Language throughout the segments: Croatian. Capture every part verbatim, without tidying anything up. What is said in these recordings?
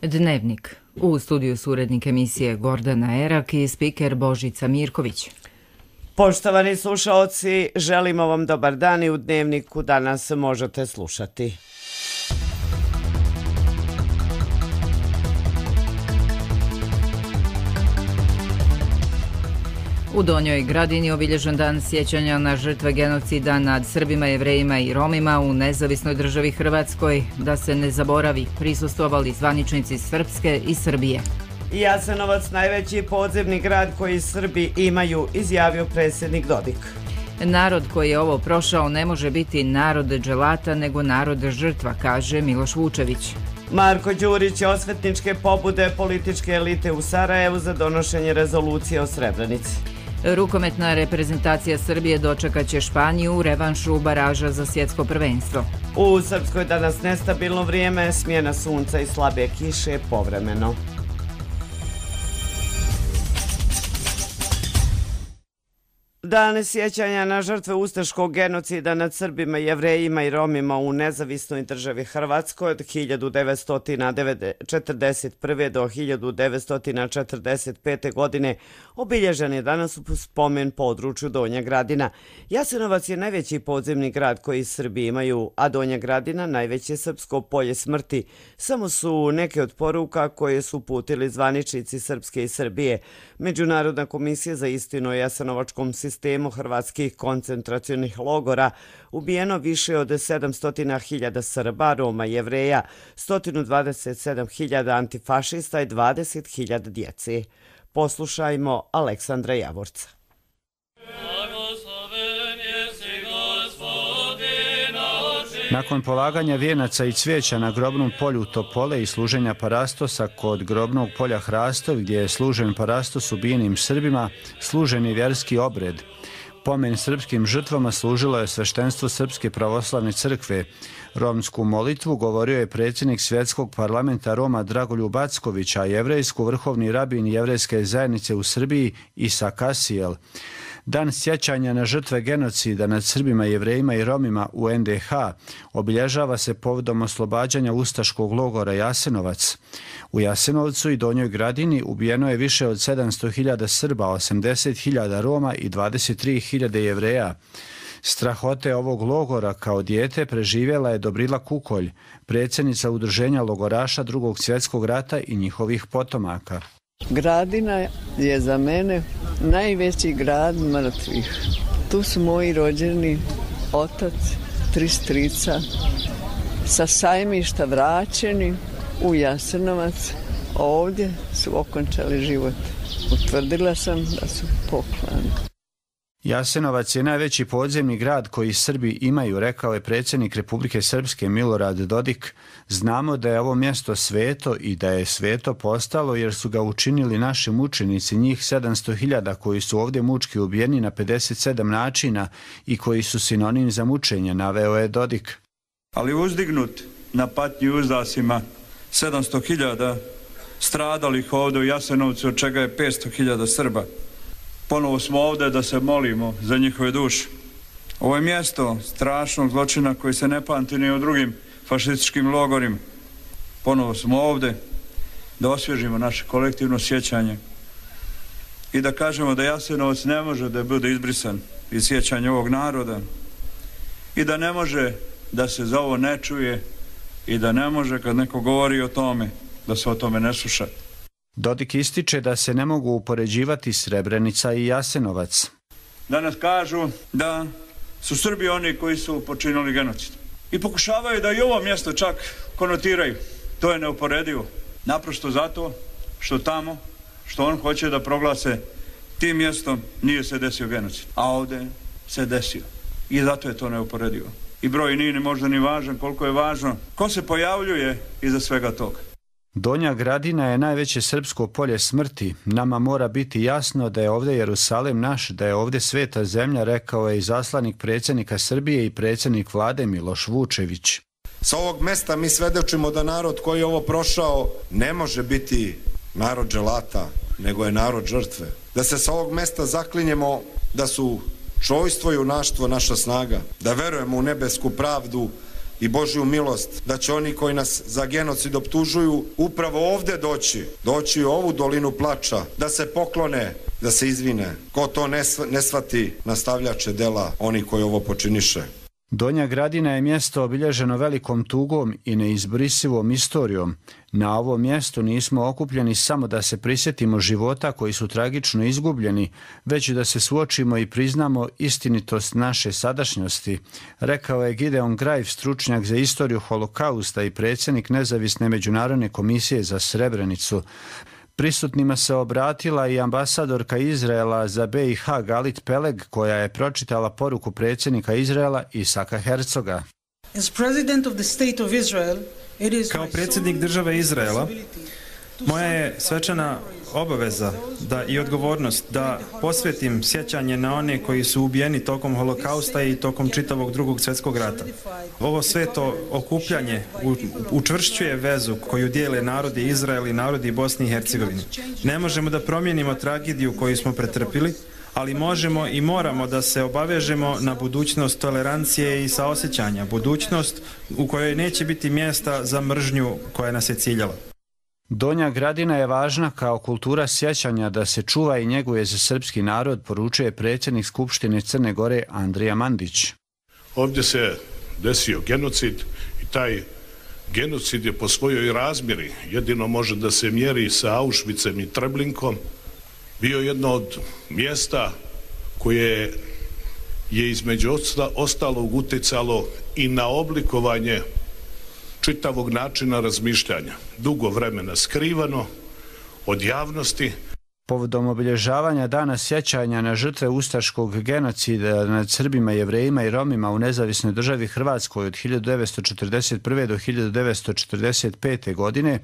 Dnevnik. U studiju su urednik emisije Gordana Erak i spiker Božica Mirković. Poštovani slušaoci, želimo vam dobar dan i u Dnevniku danas možete slušati. U Donjoj Gradini obilježen dan sjećanja na žrtve genocida nad Srbima, Jevrejima i Romima u nezavisnoj državi Hrvatskoj. Da se ne zaboravi, prisustvovali zvaničnici Srpske i Srbije. Jasenovac najveći podzemni grad koji Srbi imaju, izjavio predsjednik Dodik. Narod koji je ovo prošao ne može biti narod dželata, nego narod žrtva, kaže Miloš Vučević. Marko Đurić je osvetničke pobude političke elite u Sarajevu za donošenje rezolucije o Srebrenici. Rukometna reprezentacija Srbije dočekat će Španiju u revanšu baraža za svjetsko prvenstvo. U Srpskoj danas nestabilno vrijeme, smjena sunca i slabe kiše povremeno. Dan sjećanja na žrtve ustaškog genocida nad Srbima, Jevrejima i Romima u nezavisnoj državi Hrvatskoj od hiljadu devetsto četrdeset prve. do hiljadu devetsto četrdeset pete. godine obilježen je danas u spomen području Donja Gradina. Jasenovac je najveći podzemni grad koji Srbi imaju, a Donja Gradina najveće srpsko polje smrti. Samo su neke od poruka koje su uputili zvaničnici Srpske i Srbije. Međunarodna komisija za istinu o jasenovačkom sistemu hrvatskih koncentracionih logora ubijeno više od sedamsto hiljada Srba, Roma, Jevreja, sto dvadeset sedam hiljada antifašista i dvadeset hiljada djece. Poslušajmo Aleksandra Javorca. Nakon polaganja vijenaca i cvijeća na grobnom polju Topole i služenja parastosa kod grobnog polja Hrastov, gdje je služen parastos ubijenim Srbima, služen je vjerski obred. Pomen srpskim žrtvama služilo je sveštenstvo Srpske pravoslavne crkve. Romsku molitvu govorio je predsjednik Svjetskog parlamenta Roma Dragoljub Acković, a jevrejsku vrhovni rabin jevrejske zajednice u Srbiji Isa Kasijel. Dan sjećanja na žrtve genocida nad Srbima, Jevrejima i Romima u en de ha obilježava se povodom oslobađanja ustaškog logora Jasenovac. U Jasenovcu i Donjoj Gradini ubijeno je više od sedamsto hiljada Srba, osamdeset hiljada Roma i dvadeset tri hiljade Jevreja. Strahote ovog logora kao dijete preživjela je Dobrila Kukolj, predsjednica udruženja logoraša Drugog svjetskog rata i njihovih potomaka. Gradina je za mene najveći grad mrtvih. Tu su moji rođeni, otac, tri strica, sa sajmišta vraćeni u Jasenovac. Ovdje su okončali život. Utvrdila sam da su poklani. Jasenovac je najveći podzemni grad koji Srbi imaju, rekao je predsjednik Republike Srpske Milorad Dodik. Znamo da je ovo mjesto sveto i da je sveto postalo jer su ga učinili naši mučenici, njih sedamsto hiljada koji su ovdje mučki ubijeni na pedeset sedam načina i koji su sinonim za mučenje, naveo je Dodik. Ali uzdignut na patnji uzdasima sedamsto hiljada stradalih ovdje u Jasenovcu, od čega je petsto hiljada Srba. Ponovo smo ovdje da se molimo za njihove duše. Ovo je mjesto strašnog zločina koji se ne pamti ni u drugim fašističkim logorima. Ponovo smo ovdje da osvježimo naše kolektivno sjećanje i da kažemo da Jasenovac ne može da bude izbrisan iz sjećanja ovog naroda i da ne može da se za ovo ne čuje i da ne može kad neko govori o tome da se o tome ne sluša. Dodik ističe da se ne mogu upoređivati Srebrenica i Jasenovac. Danas kažu da su Srbi oni koji su počinili genocid. I pokušavaju da i ovo mjesto čak konotiraju. To je neuporedivo. Naprosto zato što tamo, što on hoće da proglase tim mjestom, nije se desio genocid. A ovdje se desio. I zato je to neuporedivo. I broj nije ni možda ni važan koliko je važno ko se pojavljuje iza svega toga. Donja Gradina je najveće srpsko polje smrti. Nama mora biti jasno da je ovdje Jerusalim naš, da je ovdje sveta zemlja, rekao je i zaslanik predsjednika Srbije i predsjednik vlade Miloš Vučević. Sa ovog mesta mi svedočimo da narod koji je ovo prošao ne može biti narod dželata, nego je narod žrtve. Da se sa ovog mesta zaklinjemo da su čojstvo i junaštvo naša snaga, da verujemo u nebesku pravdu, i Božju milost da će oni koji nas za genocid optužuju upravo ovde doći, doći u ovu dolinu plača, da se poklone, da se izvine. Ko to ne, ne shvati, nastavljače dela oni koji ovo počiniše. Donja Gradina je mjesto obilježeno velikom tugom i neizbrisivom istorijom. Na ovom mjestu nismo okupljeni samo da se prisjetimo života koji su tragično izgubljeni, već da se suočimo i priznamo istinitost naše sadašnjosti, rekao je Gideon Grajf, stručnjak za istoriju holokausta i predsjednik Nezavisne međunarodne komisije za Srebrenicu. Prisutnima se obratila i ambasadorka Izraela za B i H Galit Peleg, koja je pročitala poruku predsjednika Izraela Isaka Herzoga. Kao predsjednik države Izraela, moja je svečana obaveza da i odgovornost da posvetim sjećanje na one koji su ubijeni tokom holokausta i tokom čitavog drugog svjetskog rata. Ovo sveto okupljanje učvršćuje vezu koju dijele narodi Izrael i narodi Bosne i Hercegovine. Ne možemo da promijenimo tragediju koju smo pretrpili, ali možemo i moramo da se obavežemo na budućnost tolerancije i saosjećanja, budućnost u kojoj neće biti mjesta za mržnju koja nas je ciljala. Donja Gradina je važna kao kultura sjećanja da se čuva i njeguje za srpski narod, poručuje predsjednik Skupštine Crne Gore Andrija Mandić. Ovdje se desio genocid i taj genocid je po svojoj razmjeri, jedino može da se mjeri sa Auschwitzem i Treblinkom, bio jedno od mjesta koje je između ostalog utjecalo i na oblikovanje čitavog načina razmišljanja, dugo vremena skrivano od javnosti. Povodom obilježavanja dana sjećanja na žrtve ustaškog genocida nad Srbima, Jevrejima i Romima u nezavisnoj državi Hrvatskoj od hiljadu devetsto četrdeset prve do hiljadu devetsto četrdeset pete. godine,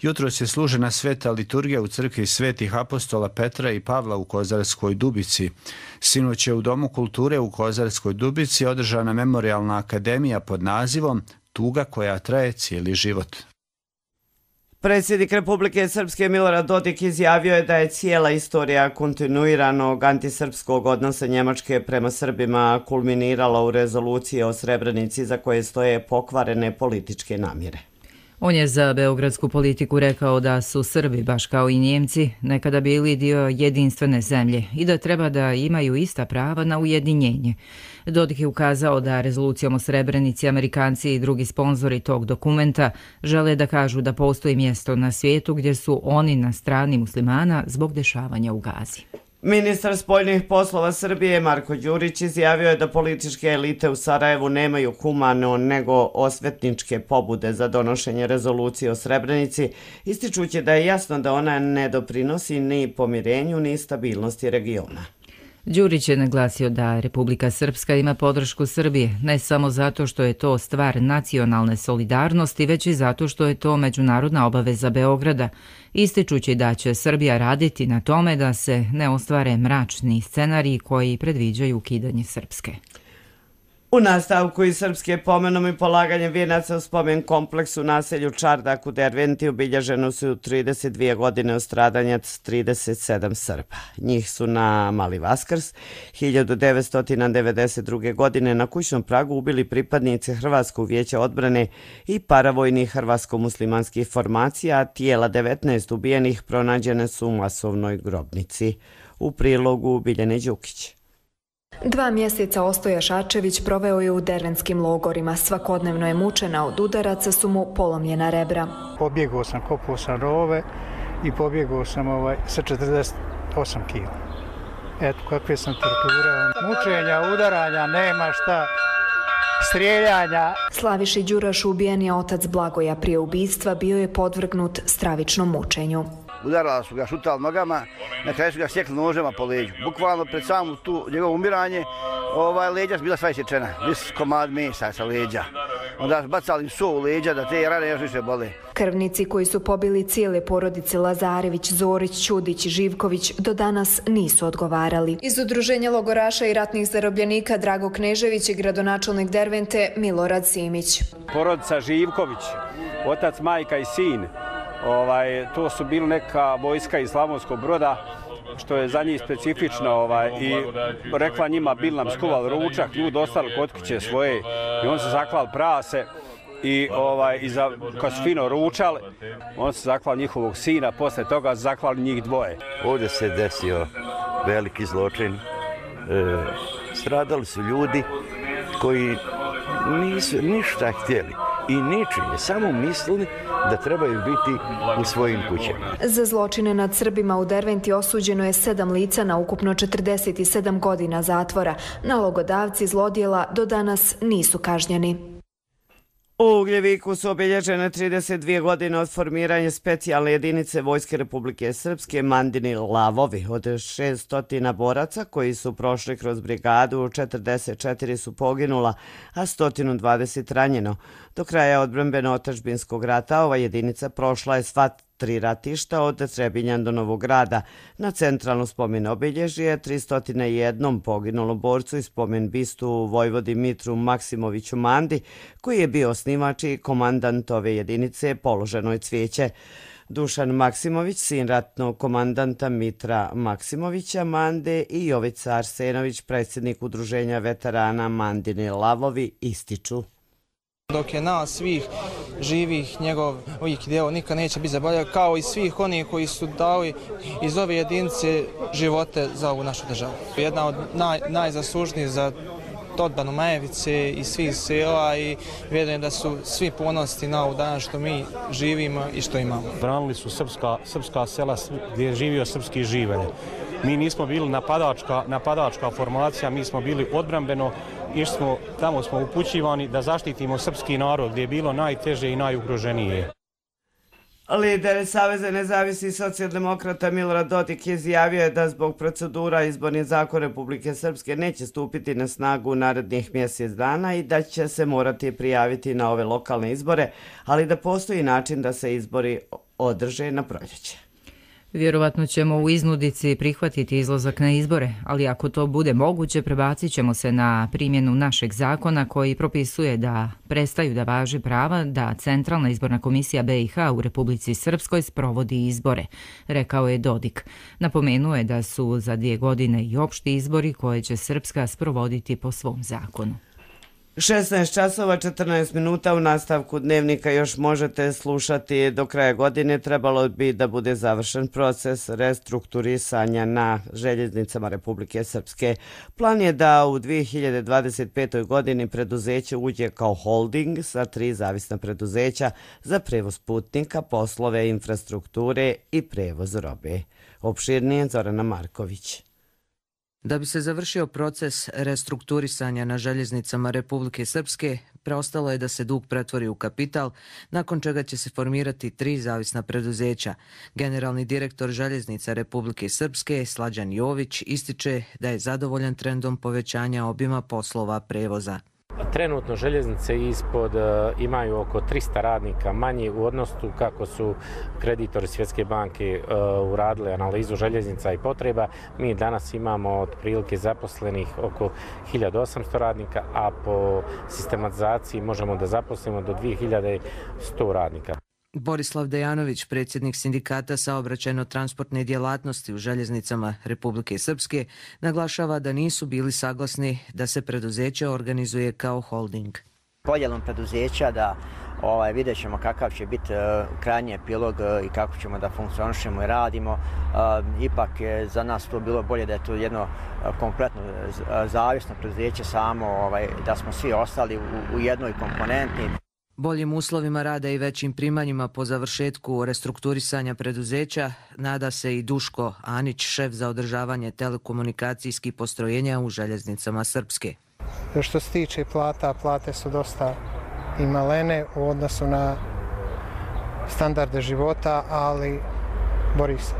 jutros je služena sveta liturgija u crkvi Svetih apostola Petra i Pavla u Kozarskoj Dubici. Sinoć je u Domu kulture u Kozarskoj Dubici održana memorijalna akademija pod nazivom Tuga koja traje cijeli život. Predsjednik Republike Srpske Milorad Dodik izjavio je da je cijela istorija kontinuiranog antisrpskog odnosa Njemačke prema Srbima kulminirala u rezoluciji o Srebrenici za koje stoje pokvarene političke namjere. On je za beogradsku politiku rekao da su Srbi, baš kao i Njemci, nekada bili dio jedinstvene zemlje i da treba da imaju ista prava na ujedinjenje. Dodik je ukazao da rezolucijom o Srebrenici Amerikanci i drugi sponzori tog dokumenta žele da kažu da postoji mjesto na svijetu gdje su oni na strani muslimana zbog dešavanja u Gazi. Ministar spoljnih poslova Srbije Marko Đurić izjavio je da političke elite u Sarajevu nemaju humano nego osvetničke pobude za donošenje rezolucije o Srebrenici, ističući da je jasno da ona ne doprinosi ni pomirenju ni stabilnosti regiona. Đurić je naglasio da Republika Srpska ima podršku Srbije, ne samo zato što je to stvar nacionalne solidarnosti, već i zato što je to međunarodna obaveza Beograda, ističući da će Srbija raditi na tome da se ne ostvare mračni scenariji koji predviđaju ukidanje Srpske. U nastavku iz Srpske pomenom i polaganjem vijenaca u spomen kompleksu naselju Čardak u Derventi obilježeno su trideset dvije godine od stradanja trideset sedam Srba. Njih su na Mali Vaskrs hiljadu devetsto devedeset druge. godine na kućnom pragu ubili pripadnici Hrvatskog vijeća odbrane i paravojnih hrvatsko-muslimanskih formacija, a tijela devetnaest ubijenih pronađene su u masovnoj grobnici. U prilogu Biljane Đukić. Dva mjeseca Ostoja Šarčević proveo je u dervenskim logorima. Svakodnevno je mučena, od udaraca su mu polomljena rebra. Pobjegao sam, kopao sam rove i pobjegao sam ovaj, sa četrdeset osam kila. Eto kakve sam torture. Mučenja, udaranja, nema šta, strijeljanja. Slaviši Đuraš, ubijen je otac Blagoja. Prije ubistva bio je podvrgnut stravičnom mučenju. Udarala su ga, šutali nogama, na kraju su ga sjekli nožema po leđu. Bukvalno pred samo tu njegovo umiranje, ovaj, leđa su bila sva isječena, vis komad mesa sa leđa. Onda su bacali so u leđa da te rane još više bole. Krvnici koji su pobili cijele porodice Lazarević, Zorić, Ćudić i Živković do danas nisu odgovarali. Iz Udruženja logoraša i ratnih zarobljenika Drago Knežević i gradonačelnik Dervente Milorad Simić. Porodica Živković, otac, majka i sin, ovaj, to su bili neka vojska iz Slavonskog Broda što je za njih specifično ovaj, i rekla njima bil nam skuval ručak, ljudi ostali kod kuće svoje i on se zakval prase i, ovaj, i za, kad su fino ručali, on se zakval njihovog sina, posle toga zakvali njih dvoje. Ovdje se desio veliki zločin. E, stradali su ljudi koji nisu ništa htjeli i ničije, samo mislili da trebaju biti u svojim kućama. Za zločine nad Srbima u Derventi osuđeno je sedam lica na ukupno četrdeset sedam godina zatvora. Nalogodavci zlodjela do danas nisu kažnjeni. U Ugljeviku su obilježene trideset dvije godine od formiranja specijalne jedinice Vojske Republike Srpske Mandini Lavovi. Od šeststo boraca koji su prošli kroz brigadu, četrdeset četiri su poginula, a sto dvadeset ranjeno. Do kraja odbrambeno-otadžbinskog rata ova jedinica prošla je sva tri ratišta od Trebinja do Novog Grada. Na centralno spomen obilježje tristo jedan poginulom borcu i spomen bistu Vojvodi Mitru Maksimoviću Mandi, koji je bio osnivač i komandant ove jedinice, položeno je cvijeće. Dušan Maksimović, sin ratnog komandanta Mitra Maksimovića Mande, i Jovica Arsenović, predsjednik udruženja veterana Mandini Lavovi, ističu. Dok je nas svih živih, njegov ovih djelo nikad neće biti zaboravljen, kao i svih onih koji su dali iz ove jedinice živote za ovu našu državu. Jedna od naj, najzaslužnijih za odbranu Majevice i svih sela i vjerujem da su svi ponosni na ovu danas što mi živimo i što imamo. Branili su srpska, srpska sela gdje je živio srpski živelj. Mi nismo bili napadačka, napadačka formacija, mi smo bili odbrambeno, išli smo, tamo smo upućivani da zaštitimo srpski narod gdje je bilo najteže i najugroženije. Lider Saveza nezavisnih socijaldemokrata Milorad Dodik izjavio je da zbog procedura izborni zakon Republike Srpske neće stupiti na snagu narednih mjesec dana i da će se morati prijaviti na ove lokalne izbore, ali da postoji način da se izbori održe na proljeće. Vjerovatno ćemo u iznudici prihvatiti izlazak na izbore, ali ako to bude moguće, prebacit ćemo se na primjenu našeg zakona koji propisuje da prestaju da važi prava da Centralna izborna komisija B i H u Republici Srpskoj sprovodi izbore, rekao je Dodik. Napomenuo je da su za dvije godine i opšti izbori koje će Srpska sprovoditi po svom zakonu. šesnaest časova četrnaest minuta u nastavku dnevnika još možete slušati. Do kraja godine trebalo bi da bude završen proces restrukturisanja na željeznicama Republike Srpske. Plan je da u dvije hiljade dvadeset petoj. godini preduzeće uđe kao holding sa tri zavisna preduzeća za prevoz putnika, poslove infrastrukture i prevoz robe. Opširnije Zorana Marković. Da bi se završio proces restrukturisanja na željeznicama Republike Srpske, preostalo je da se dug pretvori u kapital, nakon čega će se formirati tri zavisna preduzeća. Generalni direktor željeznica Republike Srpske, Slađan Jović, ističe da je zadovoljan trendom povećanja obima poslova prevoza. Trenutno željeznice ispod imaju oko trista radnika manje u odnosu kako su kreditori Svjetske banke uradili analizu željeznica i potreba. Mi danas imamo otprilike zaposlenih oko hiljadu osamsto radnika, a po sistematizaciji možemo da zaposlimo do dvije hiljade sto radnika. Borislav Dejanović, predsjednik sindikata saobraćajno-transportne djelatnosti u željeznicama Republike Srpske, naglašava da nisu bili saglasni da se preduzeće organizuje kao holding. Podjelom preduzeća da ovaj, vidjet ćemo kakav će biti uh, krajnji epilog uh, i kako ćemo da funkcionišemo i radimo. Uh, ipak je za nas to bilo bolje da je to jedno uh, kompletno uh, zavisno preduzeće samo, ovaj, da smo svi ostali u, u jednoj komponenti. Boljim uslovima rada i većim primanjima po završetku restrukturisanja preduzeća nada se i Duško Anić, šef za održavanje telekomunikacijskih postrojenja u željeznicama Srpske. Što se tiče plata, plate su dosta i malene u odnosu na standarde života, ali bori se.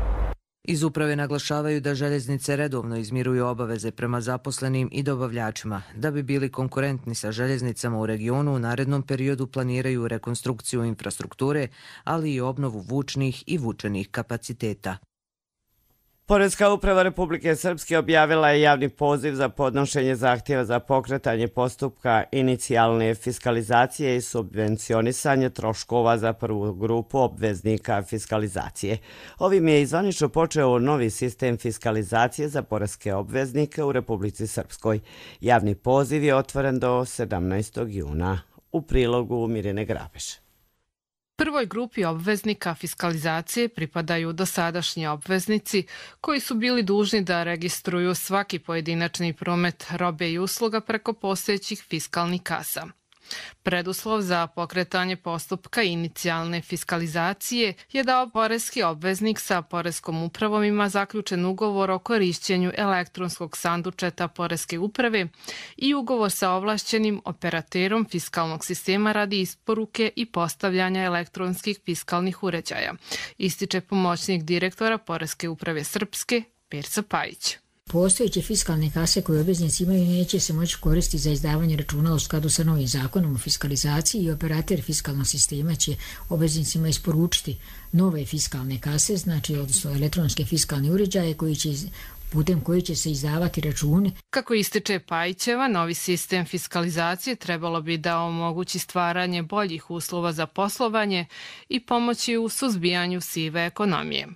Iz uprave naglašavaju da željeznice redovno izmiruju obaveze prema zaposlenim i dobavljačima. Da bi bili konkurentni sa željeznicama u regionu, u narednom periodu planiraju rekonstrukciju infrastrukture, ali i obnovu vučnih i vučenih kapaciteta. Poreska uprava Republike Srpske objavila je javni poziv za podnošenje zahtjeva za pokretanje postupka inicijalne fiskalizacije i subvencionisanje troškova za prvu grupu obveznika fiskalizacije. Ovim je zvanično počeo novi sistem fiskalizacije za poreske obveznike u Republici Srpskoj. Javni poziv je otvoren do sedamnaestog juna. U prilogu Mirjane Grabeš. Prvoj grupi obveznika fiskalizacije pripadaju dosadašnji obveznici koji su bili dužni da registruju svaki pojedinačni promet robe i usluga preko postojećih fiskalnih kasa. Preduslov za pokretanje postupka inicijalne fiskalizacije je da poreski obveznik sa poreskom upravom ima zaključen ugovor o korišćenju elektronskog sandučeta poreske uprave i ugovor sa ovlašćenim operaterom fiskalnog sistema radi isporuke i postavljanja elektronskih fiskalnih uređaja, ističe pomoćnik direktora Poreske uprave Srpske Perca Pajić. Postojeće fiskalne kase koje obveznici imaju neće se moći koristiti za izdavanje računa u skladu sa novim zakonom o fiskalizaciji i operater fiskalnog sistema će obveznicima isporučiti nove fiskalne kase, znači odnosno elektronske fiskalne uređaje koji će putem koji će se izdavati računi. Kako ističe Pajićeva, novi sistem fiskalizacije trebalo bi da omogući stvaranje boljih uslova za poslovanje i pomoći u suzbijanju sive ekonomije.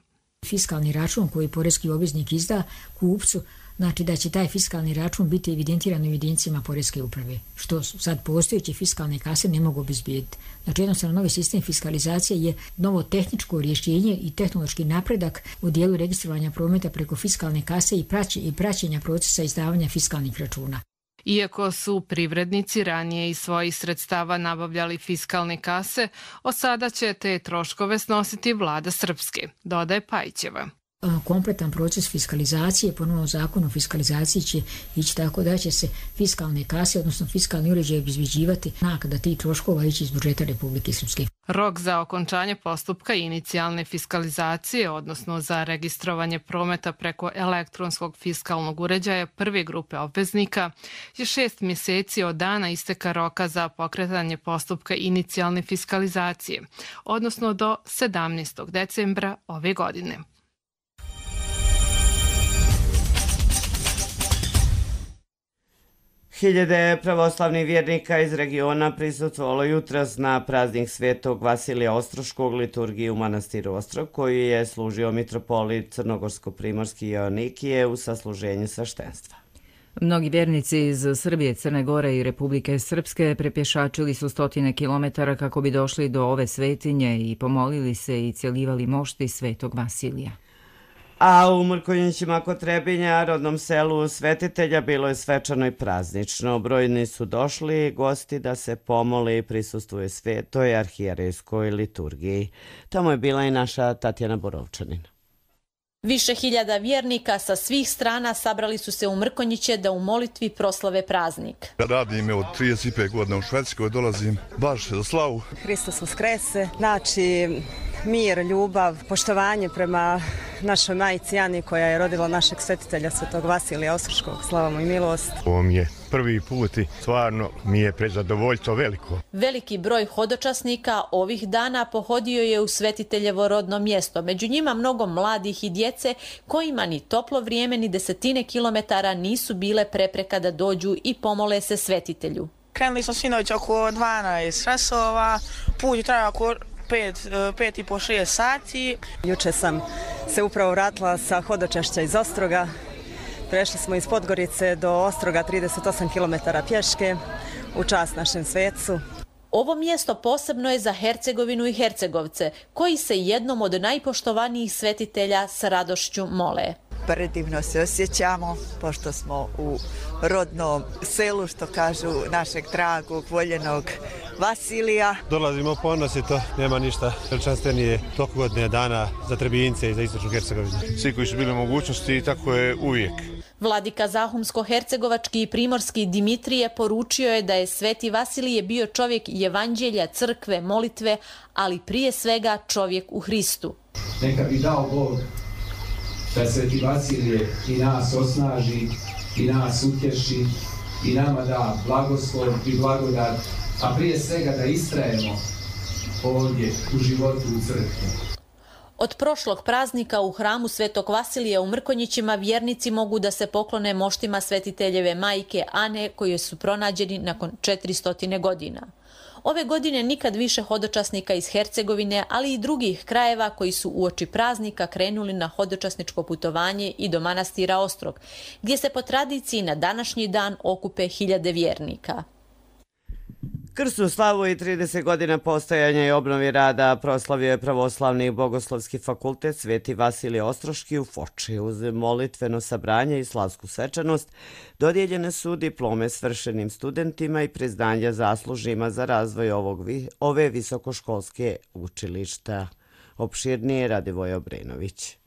Fiskalni račun koji poreski obveznik izda kupcu, znači da će taj fiskalni račun biti evidentiran u evidencijama poreske uprave, što sad postojeće fiskalne kase ne mogu obezbijediti. Znači jednostavno novi sistem fiskalizacije je novo tehničko rješenje i tehnološki napredak u dijelu registrovanja prometa preko fiskalne kase i praćenja procesa izdavanja fiskalnih računa. Iako su privrednici ranije iz svojih sredstava nabavljali fiskalne kase, od sada će te troškove snositi vlada Srpske, dodaje Pajićeva. Kompletan proces fiskalizacije po novom zakonu o fiskalizaciji će ići tako da će se fiskalne kase, odnosno fiskalni uređaj obezbeđivati naknada tih troškova ići iz budžeta Republike Srpske. Rok za okončanje postupka inicijalne fiskalizacije, odnosno za registrovanje prometa preko elektronskog fiskalnog uređaja prve grupe obveznika, je šest mjeseci od dana isteka roka za pokretanje postupka inicijalne fiskalizacije, odnosno do sedamnaestog decembra ove godine. Hiljade pravoslavnih vjernika iz regiona prisustvovalo jutros na praznik Svetog Vasilija Ostroškog liturgiji u manastiru Ostrog, koji je služio mitropolit Crnogorsko-primorski Joannikije u sasluženju sveštenstva. Mnogi vjernici iz Srbije, Crne Gore i Republike Srpske prepješačili su stotine kilometara kako bi došli do ove svetinje i pomolili se i cjelivali mošti Svetog Vasilija. A u Mrkonjićima kod Trebinja, rodnom selu svetitelja, bilo je svečano i praznično. Brojni su došli gosti da se pomole i prisustvuju svetoj arhijerejskoj liturgiji. Tamo je bila i naša Tatjana Borovčanin. Više hiljada vjernika sa svih strana sabrali su se u Mrkonjiće da u molitvi proslave praznik. Radim od trideset pet godina u Švedskoj, dolazim baš za slavu. Hristos uskrese, znači mir, ljubav, poštovanje prema našoj majci Ani koja je rodila našeg svetitelja Svetog Vasilija Ostroškog. Slava mu i milost. Ovo mi je prvi put i stvarno mi je prezadovoljstvo veliko. Veliki broj hodočasnika ovih dana pohodio je u svetiteljevo rodno mjesto. Među njima mnogo mladih i djece kojima ni toplo vrijeme ni desetine kilometara nisu bile prepreka da dođu i pomole se svetitelju. Krenuli smo sinoć oko dvanaest časova, put traja oko Pet, pet i po šest sati. Juče sam se upravo vratila sa hodočašća iz Ostroga. Prešli smo iz Podgorice do Ostroga trideset osam kilometara pješke u čast našem svecu. Ovo mjesto posebno je za Hercegovinu i Hercegovce, koji se jednom od najpoštovanijih svetitelja sa radošću mole. Predivno se osjećamo, pošto smo u rodnom selu, što kažu, našeg dragog, voljenog Vasilija. Dolazimo ponosito, nema ništa veličanstvenije toliko godine dana za Trebinjce i za istočnu Hercegovinu. Svi koji su bili u mogućnosti i tako je uvijek. Vladika Zahumsko-hercegovački i primorski Dimitrije poručio je da je Sveti Vasilije bio čovjek evanđelja, crkve, molitve, ali prije svega čovjek u Hristu. Neka bi dao Bog da Sveti Vasilije i nas osnaži, i nas utješi, i nama da blagoslov i blagodat, a prije svega da istrajemo ovdje u životu u crkvi. Od prošlog praznika u hramu Svetog Vasilija u Mrkonjićima vjernici mogu da se poklone moštima svetiteljeve majke Ane koji su pronađeni nakon četiristo godina. Ove godine nikad više hodočasnika iz Hercegovine, ali i drugih krajeva koji su uoči praznika krenuli na hodočasničko putovanje i do manastira Ostrog, gdje se po tradiciji na današnji dan okupe hiljade vjernika. Krsnu slavu i trideset godina postojanja i obnovi rada proslavio je Pravoslavni bogoslovski fakultet Sveti Vasilije Ostroški u Foči. Uz molitveno sabranje i slavsku svečanost dodijeljene su diplome svršenim studentima i priznanja zaslužima za razvoj ovog, ove visokoškolske učilišta. Opširnije Radivoj Obrenović.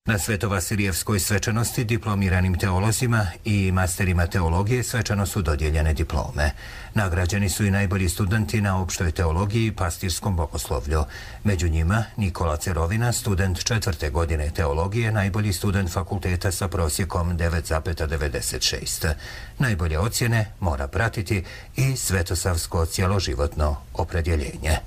Na Svetovasilijevskoj svečanosti diplomiranim teolozima i masterima teologije svečano su dodijeljene diplome. Nagrađeni su i najbolji studenti na opštoj teologiji i pastirskom bogoslovlju. Među njima Nikola Cerovina, student četvrte godine teologije, najbolji student fakulteta sa prosjekom devet zarez devedeset šest. Najbolje ocjene mora pratiti i svetosavsko cjeloživotno opredjeljenje.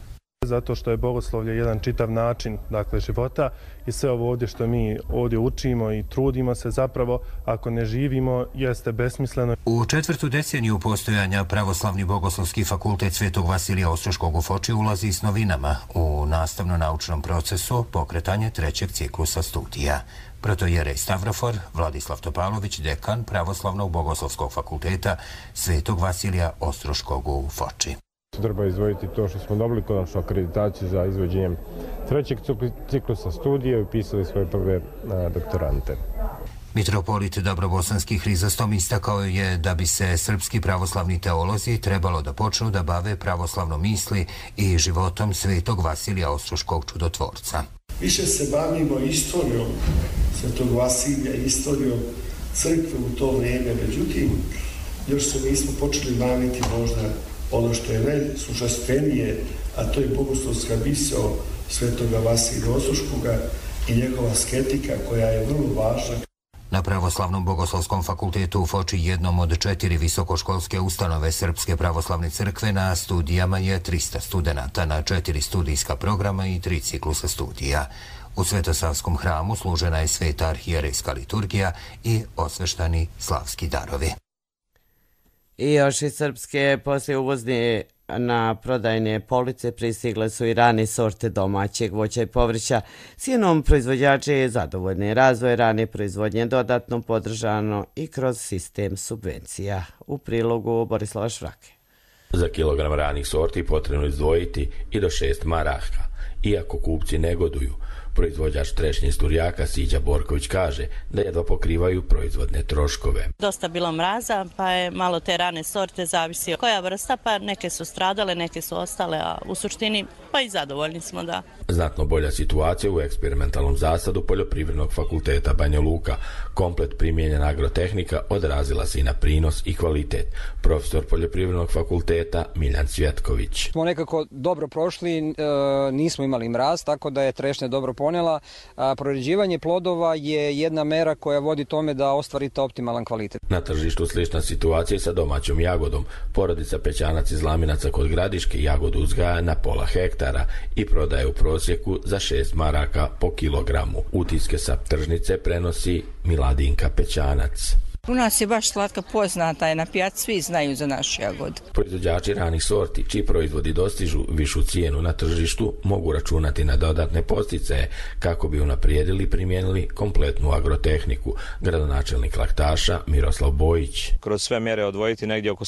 Zato što je bogoslovlje jedan čitav način, dakle, života i sve ovo ovdje što mi ovdje učimo i trudimo se zapravo, ako ne živimo, jeste besmisleno. U četvrtu deceniju postojanja Pravoslavni bogoslovski fakultet Svetog Vasilija Ostroškog u Foči ulazi s novinama u nastavno-naučnom procesu pokretanje trećeg ciklusa studija. Protojerej Stavrofor Vladislav Topalović, dekan Pravoslavnog bogoslovskog fakulteta Svetog Vasilija Ostroškog u Foči. Treba izdvojiti to što smo dobili konačnu akreditaciju za izvođenjem trećeg ciklusa studija i upisali svoje prve doktorante. Mitropolit Dobrobosanski Hrizostom istakao je da bi se srpski pravoslavni teolozi trebalo da počnu da bave pravoslavnom misli i životom Svetog Vasilija Ostroškog čudotvorca. Više se bavimo istorijom Svetog Vasilija, istorijom crkve u to vrijeme, međutim, još se nismo počeli baviti možda ono što je najsušastvenije, a to je bogoslovska misao Svetoga Vasilija Ostroškoga i njegova asketika koja je vrlo važna. Na Pravoslavnom bogoslovskom fakultetu u Foči, jednom od četiri visokoškolske ustanove Srpske pravoslavne crkve, na studijama je trista studenata na četiri studijska programa i tri ciklusa studija. U Svetosavskom hramu služena je sveta arhijerejska liturgija i osveštani slavski darovi. I još iz Srpske poslije uvozni na prodajne police pristigle su i rane sorte domaćeg voća i povrća. Cijenom proizvođači je zadovoljni. Razvoj rane proizvodnje dodatno podržano i kroz sistem subvencija. U prilogu Borislava Švrake. Za kilogram ranih sorti potrebno izdvojiti i do šest maraka. Iako kupci negoduju, proizvođač trešnje iz Turjaka Siđa Borković kaže da jedva pokrivaju proizvodne troškove. Dosta bilo mraza, pa je malo te rane sorte zavisi koja vrsta, pa neke su stradale, neke su ostale, a u suštini pa i zadovoljni smo da. Znatno bolja situacija u eksperimentalnom zasadu Poljoprivrednog fakulteta Banja Luka. Komplet primijenjena agrotehnika odrazila se i na prinos i kvalitet. Profesor Poljoprivrednog fakulteta Miljan Cvjetković. Smo nekako dobro prošli, nismo imali mraz, tako da je trešnja dobro ponela. Proređivanje plodova je jedna mera koja vodi tome da ostvarite optimalan kvalitet. Na tržištu slična situacija sa domaćom jagodom. Porodica Pećanac iz Laminaca kod Gradiške jagodu uzgaja na pola hektara i prodaje u prosjeku za šest maraka po kilogramu. Utiske sa tržnice prenosi Miladinka Pećanac. U nas je baš slatka, poznata je na pijaci, svi znaju za našu jagodu. Proizvođači ranih sorti, čiji proizvodi dostižu višu cijenu na tržištu, mogu računati na dodatne podsticaje kako bi unaprijedili i primijenili kompletnu agrotehniku. Gradonačelnik Laktaša Miroslav Bojić. Kroz sve mjere odvojiti negdje oko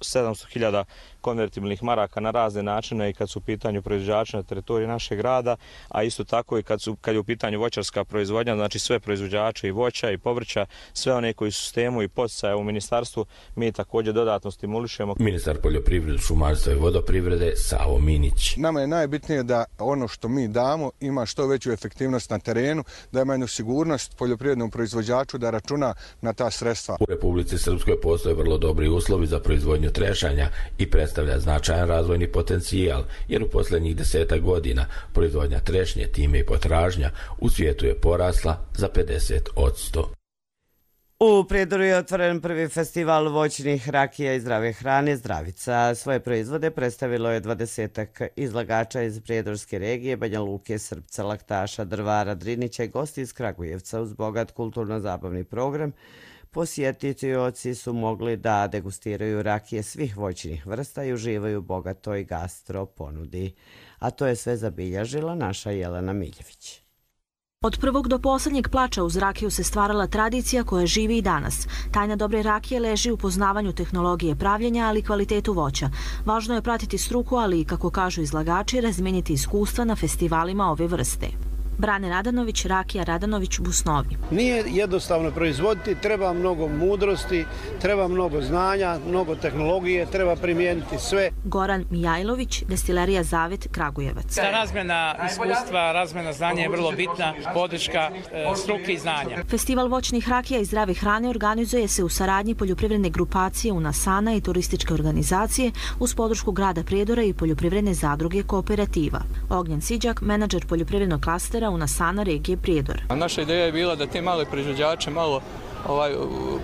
sedamsto hiljada konvertibilnih maraka na razne načine i kad su u pitanju proizvođači na teritoriji našeg grada, a isto tako i kad, su, kad je u pitanju voćarska proizvodnja, znači sve proizvođače i voća i povrća, sve one koji su sistemu i podsticaja u ministarstvu, mi također dodatno stimulišemo. Ministar poljoprivrede, šumarstva i vodoprivrede Savo Minić. Nama je najbitnije da ono što mi damo ima što veću efektivnost na terenu, da ima jednu sigurnost poljoprivrednom proizvođaču da računa na ta sredstva. U Republici Srpskoj postoje vrlo dobri uslovi za proizvodnju trešanja i predstavlja značajan razvojni potencijal, jer u posljednjih desetak godina proizvodnja trešnje, time i potražnja u svijetu je porasla za pedeset posto. U Prijedoru je otvoren prvi festival voćnih rakija i zdrave hrane Zdravica. Svoje proizvode predstavilo je dvadesetak izlagača iz Prijedorske regije, Banja Luke, Srpca, Laktaša, Drvara, Drinića i gosti iz Kragujevca. Uz bogat kulturno-zabavni program posjetitelji su mogli da degustiraju rakije svih voćnih vrsta i uživaju u bogatoj gastro ponudi. A to je sve zabilježila naša Jelena Miljević. Od prvog do posljednjeg plača uz rakiju se stvarala tradicija koja živi i danas. Tajna dobre rakije leži u poznavanju tehnologije pravljenja, ali i kvalitetu voća. Važno je pratiti struku, ali i, kako kažu izlagači, razmijeniti iskustva na festivalima ove vrste. Brane Radanović, rakija Radanović, Busnovi. Nije jednostavno proizvoditi, treba mnogo mudrosti, treba mnogo znanja, mnogo tehnologije, treba primijeniti sve. Goran Mijajlović, destilerija Zavet, Kragujevac. Ta razmjena iskustva, razmjena znanja je vrlo bitna, podrška e, struke i znanja. Festival voćnih rakija i zdrave hrane organizuje se u saradnji poljoprivredne grupacije Unasana i turističke organizacije uz podršku grada Prijedora i poljoprivredne zadruge Kooperativa. Ognjen Siđak, menadžer poljoprivrednog klastera Unasana regije Prijedor. Naša ideja je bila da te male proizvođače malo ovaj,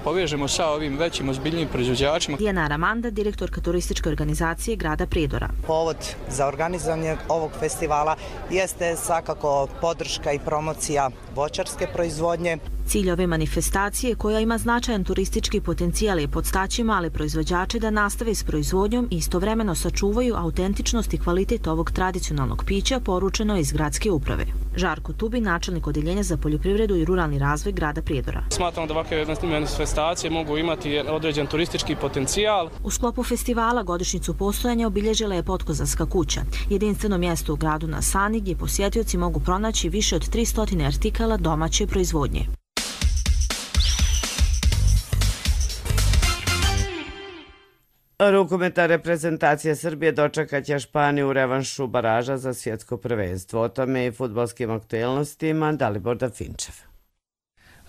povežemo sa ovim većim ozbiljnim proizvođačima. Dijana Aramanda, direktorka turističke organizacije grada Prijedora. Povod za organizovanje ovog festivala jeste svakako podrška i promocija voćarske proizvodnje. Cilj ove manifestacije, koja ima značajan turistički potencijal, je podstaći male proizvođače da nastave s proizvodnjom i istovremeno sačuvaju autentičnost i kvalitet ovog tradicionalnog pića, poručeno iz gradske uprave. Žarko Tubi, načelnik Odeljenja za poljoprivredu i ruralni razvoj grada Prijedora. Smatram da ovakve manifestacije mogu imati određen turistički potencijal. U sklopu festivala godišnjicu postojanja obilježila je Potkozanska kuća, jedinstveno mjesto u gradu na Sani gdje posjetioci mogu pronaći više od tristo artikala domaće proizvodnje. Rukometna reprezentacija Srbije dočekat će Španiju u revanšu baraža za svjetsko prvenstvo. O tome i fudbalskim aktuelnostima Dalibor Dafinčev.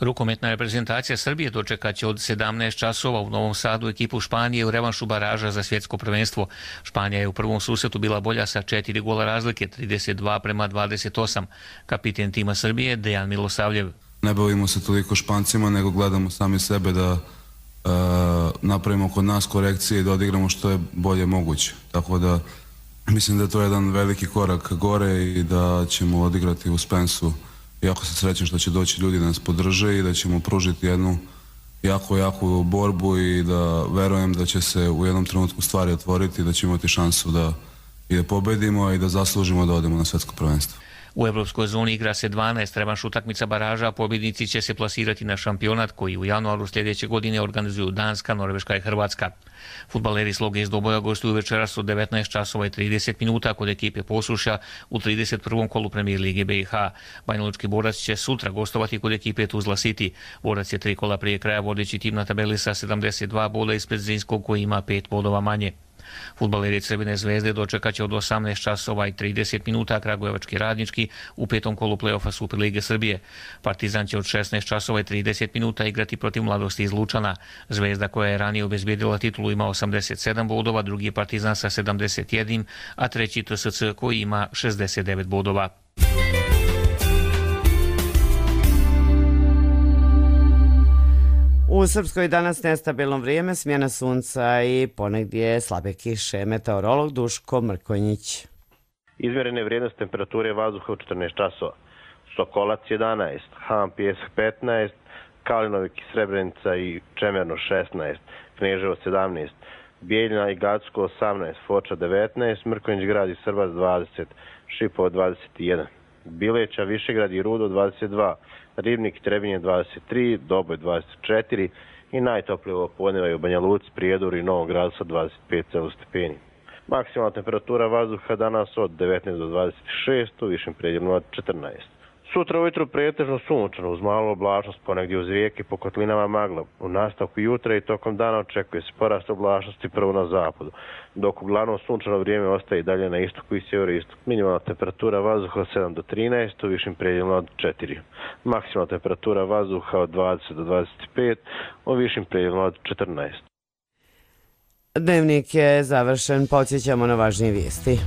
Rukometna reprezentacija Srbije dočekat će od sedamnaest časova u Novom Sadu ekipu Španije u revanšu baraža za svjetsko prvenstvo. Španija je u prvom susretu bila bolja sa četiri gola razlike, trideset dva prema dvadeset osam. Kapiten tima Srbije Dejan Milosavljev. Ne bavimo se toliko Špancima, nego gledamo sami sebe da Uh, napravimo kod nas korekcije i da odigramo što je bolje moguće. Tako da mislim da je to jedan veliki korak gore i da ćemo odigrati u Spensu. Jako se srećem što će doći ljudi da nas podrže i da ćemo pružiti jednu jako, jako borbu i da verujem da će se u jednom trenutku stvari otvoriti i da ćemo imati šansu da i da pobedimo i da zaslužimo da odemo na svjetsko prvenstvo. U evropskoj zoni igra se dvanaest revanš utakmica baraža, a pobjednici će se plasirati na šampionat koji u januaru sljedeće godine organizuju Danska, Norveška i Hrvatska. Fudbaleri Sloge iz Doboja gostuju večeras od devetnaest časova i trideset minuta kod ekipe Posuša u trideset prvom kolu Premijer Lige B i H. Banjalučki Borac će sutra gostovati kod ekipe Tuzla City. Borac je tri kola prije kraja vodeći tim na tabeli sa sedamdeset dva boda ispred Zrinskog koji ima pet bodova manje. Fudbaleri Crvene zvezde dočekat će od osamnaest časova i trideset minuta Kragujevački Radnički u petom kolu play-offa Superlige Srbije. Partizan će od šesnaest časova i trideset minuta igrati protiv Mladosti iz Lučana. Zvezda koja je ranije obezbijedila titulu ima osamdeset sedam bodova, drugi je Partizan sa sedamdeset jedan, a treći T S C koji ima šezdeset devet bodova. U Srpskoj danas nestabilno vrijeme, smjena sunca i ponegdje slabe kiše. Meteorolog Duško Mrkonjić. Izmjerene vrijednosti temperature vazduha u četrnaest časova. Sokolac jedanaest, Han Pjesak petnaest, Kalinovik i Srebrenica i Čemerno šesnaest, Kneževo sedamnaest, Bijeljina i Gacko osamnaest, Foča devetnaest, Mrkonjić grad i Srbac dvadeset, Šipovo dvadeset jedan, Bileća, Višegrad i Rudo dvadeset dva, Ribnik i Trebinje dvadeset tri, Doboj dvadeset četiri i najtoplije ovo podneva je u Banja Luci, Prijedoru i Novom Gradu sa dvadeset pet stepeni. Maksimalna temperatura vazduha danas od devetnaest do dvadeset šest, u višim predjelima od četrnaest. Sutra ujutru pretežno sunčano uz malu oblačnost, ponegdje uz rijeke po kotlinama magla. U nastavku jutra i tokom dana očekuje se porast oblačnosti prvo na zapadu, dok uglavnom sunčano vrijeme ostaje i dalje na istoku i sjeveroistoku. Minimalna temperatura vazduha od sedam do trinaest, u višim predjelima od četiri. Maksimalna temperatura vazduha od dvadeset do dvadeset pet, u višim predjelima od četrnaest. Dnevnik je završen, podsjećamo na važnije vijesti.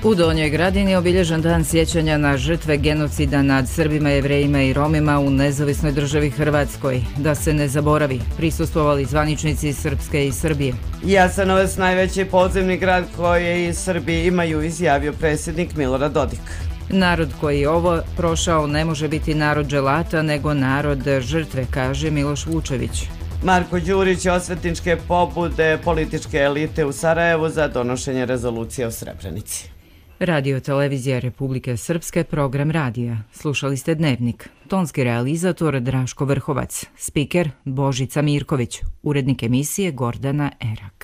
U Donjoj Gradini je obilježen dan sjećanja na žrtve genocida nad Srbima, Jevrejima i Romima u nezavisnoj državi Hrvatskoj. Da se ne zaboravi, prisustvovali zvaničnici Srpske i Srbije. Jasenovac, najveći podzemni grad koji Srbi imaju, izjavio predsjednik Milorad Dodik. Narod koji je ovo prošao ne može biti narod dželata, nego narod žrtve, kaže Miloš Vučević. Marko Đurić, osvetničke pobude političke elite u Sarajevu za donošenje rezolucije o Srebrenici. Radio Televizija Republike Srpske, program radija. Slušali ste Dnevnik. Tonski realizator Draško Vrhovac. Spiker Božica Mirković. Urednik emisije Gordana Erak.